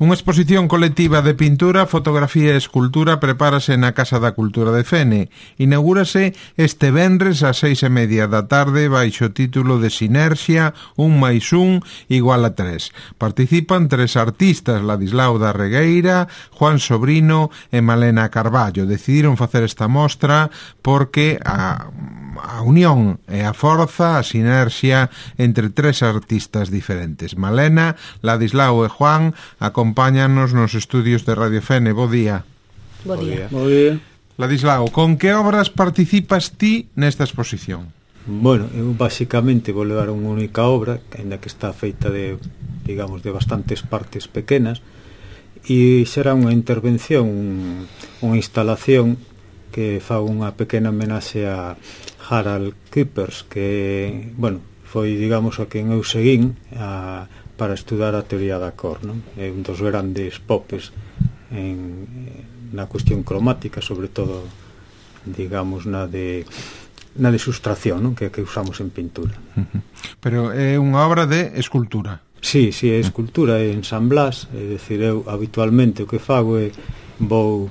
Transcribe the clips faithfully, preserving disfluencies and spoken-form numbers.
Unha exposición colectiva de pintura, fotografía e escultura prepárase na Casa da Cultura de Fene. Inaugúrase este venres ás seis e media da tarde baixo o título de Sinerxia, un máis un igual a tres. Participan tres artistas, Ladislao da Regueira, Juan Sobrino e Malena Carballo. Decidiron facer esta mostra porque a, a unión e a forza, a sinerxia entre tres artistas diferentes. Malena, Ladislao e Juan acompáñanos nos estudios de Radio Fene. Bo día. Bo día. Bo día. Ladislao, con que obras participas ti nesta exposición? Bueno, eu basicamente vou levar unha única obra, ainda que está feita de, digamos, de bastantes partes pequenas, e será unha intervención, unha instalación que fa unha pequena homenaxe a Harald Küppers, que, bueno, foi, digamos, a quen eu seguín a, para estudar a teoría da cor, non? É un dos grandes popes en, na cuestión cromática, sobre todo, digamos, na de na de sustracción, non? Que, que usamos en pintura. Pero é unha obra de escultura. Sí, sí, é escultura, é ensamblas, é dicir, eu habitualmente o que fago é vou,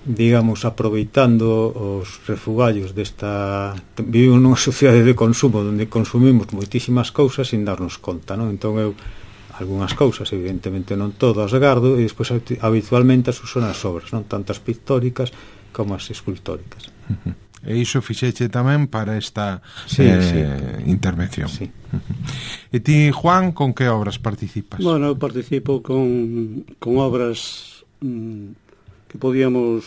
digamos, aproveitando os refugallos desta... Vivo nunha sociedade de consumo onde consumimos moitísimas cousas sin darnos conta, non? Entón eu algunhas cousas, evidentemente non todas, gardo e despois habitualmente as uso nas obras, non? Tantas pictóricas como as escultóricas. Uh-huh. E iso fixeche tamén para esta sí, eh, sí. intervención. Sí. Uh-huh. E ti, Juan, con que obras participas? Bueno, eu participo con, con obras mmm, que podíamos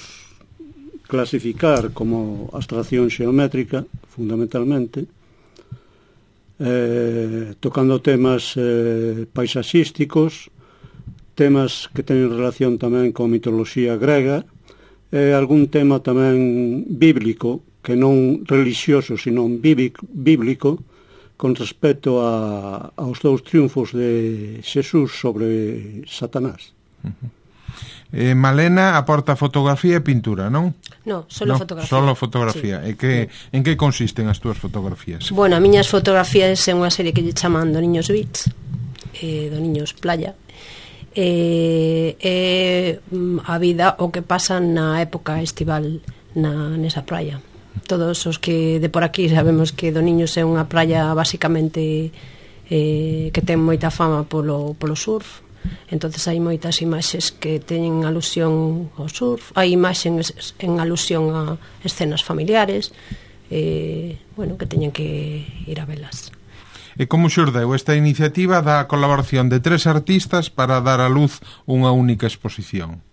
clasificar como abstracción xeométrica, fundamentalmente, eh, tocando temas eh, paisaxísticos, temas que teñen relación tamén con mitoloxía grega, e algún tema tamén bíblico, que non religioso, sino bíblico, con respecto a, aos dous triunfos de Xesús sobre Satanás. Uh-huh. eh, Malena aporta fotografía e pintura, non? No, solo no, fotografía. Solo fotografía. Sí. E que, en que consisten as túas fotografías? Bueno, a miñas fotografías é unha serie que lle chaman do Niños Beach, eh, do Niños Playa, e eh, eh, a vida o que pasa na época estival na, nesa praia. Todos os que de por aquí sabemos que do Niños é unha praia basicamente eh, que ten moita fama polo, polo surf. Entonces hai moitas imaxes que teñen alusión ao surf, hai imaxes en alusión a escenas familiares, eh, bueno, que teñen que ir a velas. E como xurdeu esta iniciativa da colaboración de tres artistas para dar a luz unha única exposición?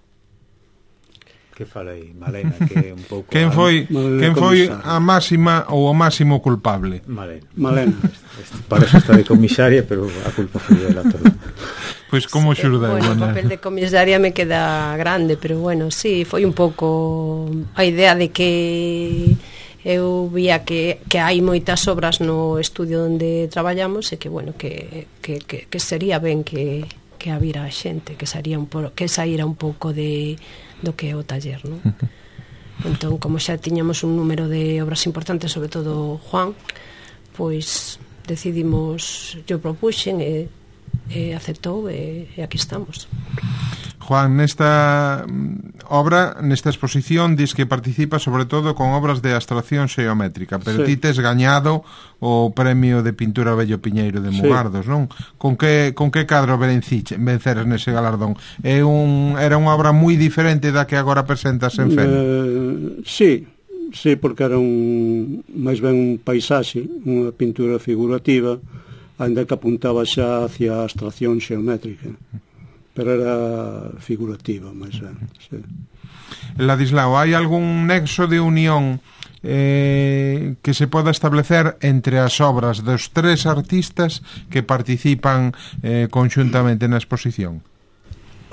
Que falei, Malena, que é un pouco... Quen foi, quen foi a máxima ou o máximo culpable? Malena. Malena. Este, para eso está de comisaria, pero a culpa foi dela todo. Pois como xurdeu? Bueno, o papel de comisaria me queda grande, pero bueno, sí, foi un pouco a idea de que eu vía que, que hai moitas obras no estudio onde traballamos e que, bueno, que, que, que, que sería ben que, que habira xente, que saíra un, po, que saíra un pouco de, do que é o taller, non? Entón, como xa tiñamos un número de obras importantes, sobre todo Juan, pois decidimos, yo propuxen e, e aceptou e, e aquí estamos. Juan, nesta obra, nesta exposición, dis que participa sobre todo con obras de abstracción xeométrica, pero sí. Ti tes gañado o premio de pintura Bello Piñeiro de Mugardos, sí. Non? Con que, con que cadro venceres nese galardón? É un, era unha obra moi diferente da que agora presentas en Fene? Uh, sí, sí, porque era un máis ben un paisaxe, unha pintura figurativa, ainda que apuntaba xa hacia a abstracción xeométrica. Pero era figurativa, máis ben, sí. Ladislao, hai algún nexo de unión eh, que se poda establecer entre as obras dos tres artistas que participan eh, conxuntamente na exposición?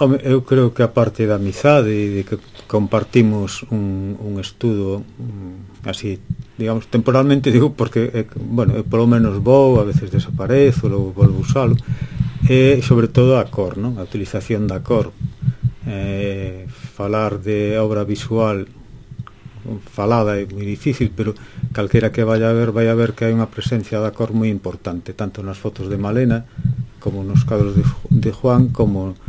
Home, eu creo que a parte da amizade e de que compartimos un, un estudo um, así, digamos, temporalmente, digo, porque, eh, bueno, eu polo menos vou, a veces desaparezo, logo volvo usalo, e sobre todo a cor, non? A utilización da cor, eh, falar de obra visual falada é moi difícil, pero calquera que vaya a ver vai a ver que hai unha presencia da cor moi importante, tanto nas fotos de Malena como nos cadros de, de Juan, como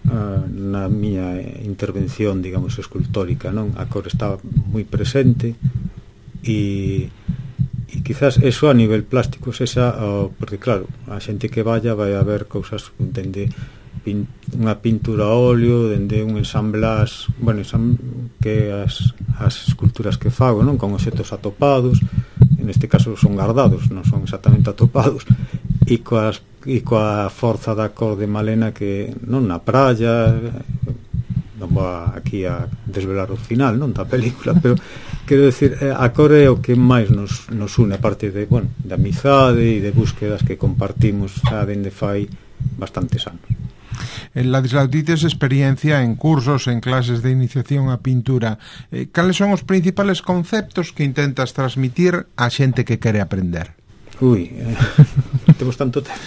uh, na miña intervención, digamos, escultórica, non? A cor está moi presente e e quizás eso a nivel plástico esa, uh, porque claro, a xente que vaya vai a ver cousas dende pin, unha pintura a óleo, dende un ensamblas, bueno, ensam, que as, as esculturas que fago, non, con obxetos atopados, en este caso son guardados, non son exactamente atopados, e coas e coa forza da cor de Malena que non na praia, non vou aquí a desvelar o final, non, da película, pero quero decir, a cor é o que máis nos, nos une, a parte de, bueno, de amizade e de búsquedas que compartimos xa dende fai bastantes anos. En Ladislao, ti tes experiencia en cursos, en clases de iniciación á pintura. Eh, cales son os principales conceptos que intentas transmitir á xente que quere aprender? Ui, eh, temos tanto tempo.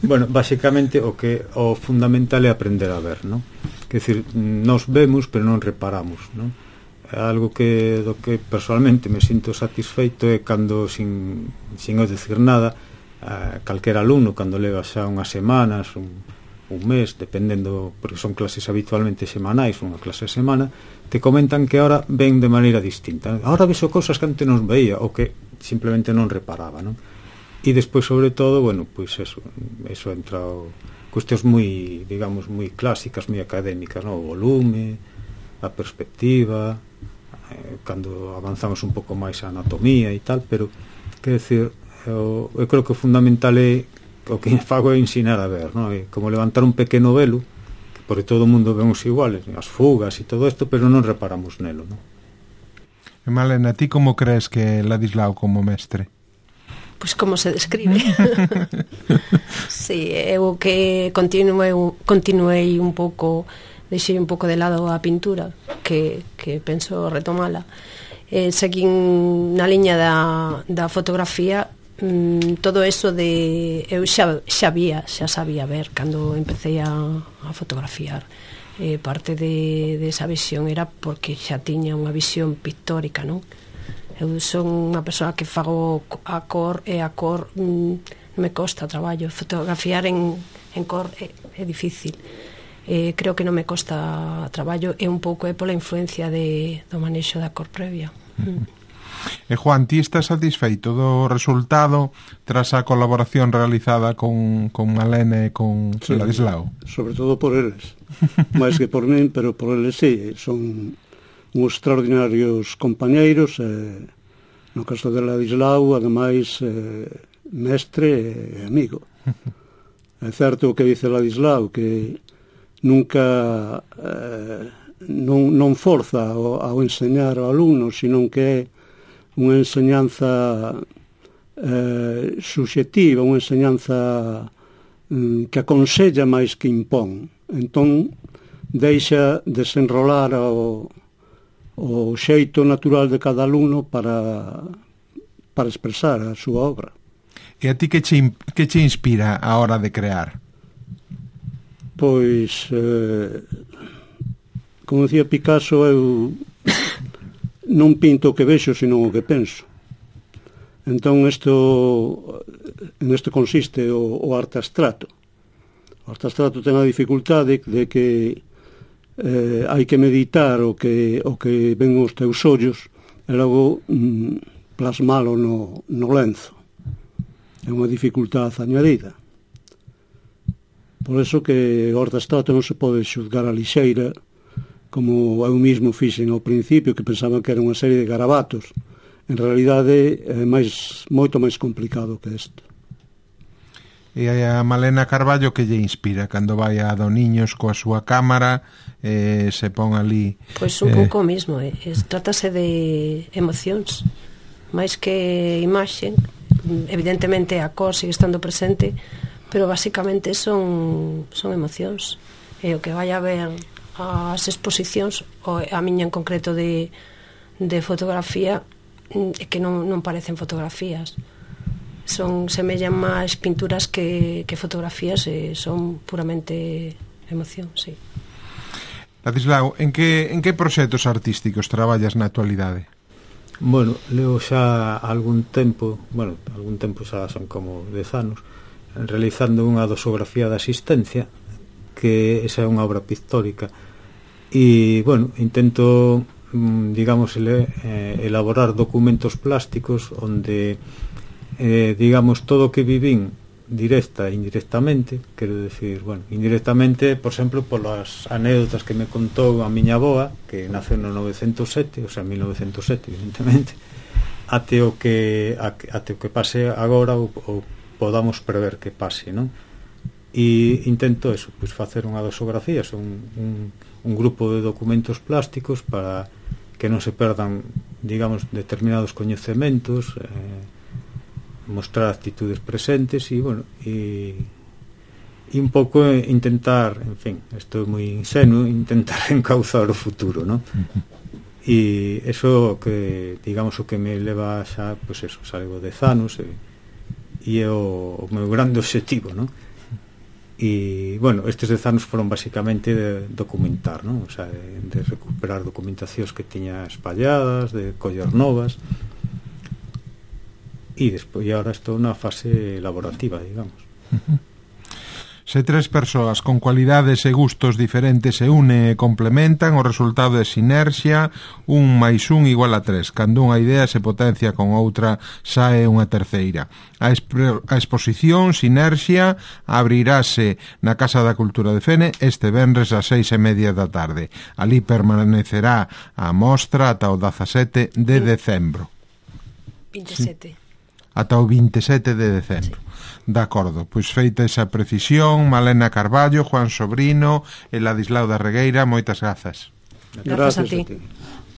Bueno, basicamente o que o fundamental é aprender a ver, non? Quer decir, nos vemos pero non reparamos, non? Algo que do que personalmente me sinto satisfeito é cando sin, sin eu decir nada, a calquera alumno cando leva xa unhas semanas, un, un mes, dependendo, porque son clases habitualmente semanais, unha clase a semana, te comentan que ahora ven de maneira distinta. Ahora vexo cousas que antes non veía ou que simplemente non reparaba, non? E despois, sobre todo, bueno, pois eso, eso entra o, cuestións moi, digamos, moi clásicas, moi académicas, non? O volume, a perspectiva, eh, cando avanzamos un pouco máis a anatomía e tal, pero, quer decir, eu, eu creo que o fundamental é o que fago é ensinar a ver, non? É como levantar un pequeno velo, que por todo o mundo vemos iguales, as fugas e todo isto, pero non reparamos nelo, non? E Malena, ti como crees que Ladislao como mestre? Pois como se describe. Sí, eu que continuei, continuei un pouco, deixei un pouco de lado a pintura, que, que penso retomala. Eh, seguín na liña da, da fotografía, mm, todo eso de... Eu xa, xa vía, xa sabía ver cando empecé a, a fotografiar. Eh, parte de, de esa visión era porque xa tiña unha visión pictórica, non? Eu son unha persoa que fago a cor e a cor mm, me costa traballo. Fotografiar en, en cor é, é difícil. Eh, creo que non me costa traballo e un pouco é pola influencia de, do manexo da cor previa. Mm. E Juan, ti estás satisfeito do resultado tras a colaboración realizada con, con Malena e con sí, Ladislao? Sobre todo por eles. máis que por min, pero por eles sí. Son uns extraordinarios compañeiros, eh, no caso de Ladislao, ademais eh, mestre e amigo. É certo o que dice Ladislao, que nunca eh, non, non forza ao, ao enseñar ao alumno, sino que é unha enseñanza eh, subxectiva, unha enseñanza mm, que aconsella máis que impón. Entón, deixa desenrolar ao o xeito natural de cada alumno para para expresar a súa obra. E a ti que che, que che inspira a hora de crear? Pois, eh, como decía Picasso, eu non pinto o que vexo, sino o que penso. Entón, isto, en isto consiste o, o arte abstracto. O arte abstracto ten a dificultade de que Eh, hai que meditar o que, o que ven os teus ollos e logo mm, plasmalo no, no lenzo. É unha dificultade añadida. Por eso que o arte abstracto non se pode xuzgar a lixeira, como eu mismo fixen ao principio, que pensaba que era unha serie de garabatos. En realidade é máis, moito máis complicado que isto. E a Malena Carballo que lle inspira cando vai a Doniños coa súa cámara e eh, se pon ali? Pois un eh... pouco mismo, eh. Trátase de emocións máis que imaxe. Evidentemente a cor sigue estando presente, pero basicamente son, son emocións. E o que vai a ver as exposicións, ou a miña en concreto de, de fotografía, é que non, non parecen fotografías. Son, semellan máis pinturas que, que fotografías e son puramente emoción, sí. Ladislao, en que, en que proxectos artísticos traballas na actualidade? Bueno, leo xa algún tempo, bueno, algún tempo xa son como dez anos, realizando unha dosografía de asistencia que esa é unha obra pictórica. E, bueno, intento, digamos, ele, eh, elaborar documentos plásticos onde, eh, digamos, todo o que vivín directa e indirectamente, quero decir, bueno, indirectamente, por exemplo, polas anécdotas que me contou a miña avoa, que naceu no novecentos sete, o sea, mil novecentos sete, evidentemente, até o que até o que pase agora ou, ou podamos prever que pase, non? E intento eso, pois facer unha dosografía, un, un, un grupo de documentos plásticos para que non se perdan, digamos, determinados coñecementos, eh, mostrar actitudes presentes e, bueno, e, e un pouco intentar, en fin, isto é moi insenuo, intentar encauzar o futuro, non? E eso que, digamos, o que me leva xa, pois eso, salgo de anos e, e é o, o meu grande obxectivo, non? E, bueno, estes dez anos foron basicamente de documentar, non? O sea, de, de recuperar documentacións que tiña espalladas, de coller novas. E despois agora estou na fase elaborativa, digamos. Se tres persoas con cualidades e gustos diferentes se unen e complementan, o resultado é sinerxia, un máis un igual a tres. Cando unha idea se potencia con outra, sae unha terceira. A, a exposición Sinerxia abrirase na Casa da Cultura de Fene este venres ás seis e media da tarde. Ali permanecerá a mostra ata o dezasete de decembro. veintisiete. Ata o veintisiete de decembro. Sí. De acordo, pois feita esa precisión, Malena Carballo, Juan Sobrino e Ladislao da Regueira, moitas grazas. Grazas a ti. A ti.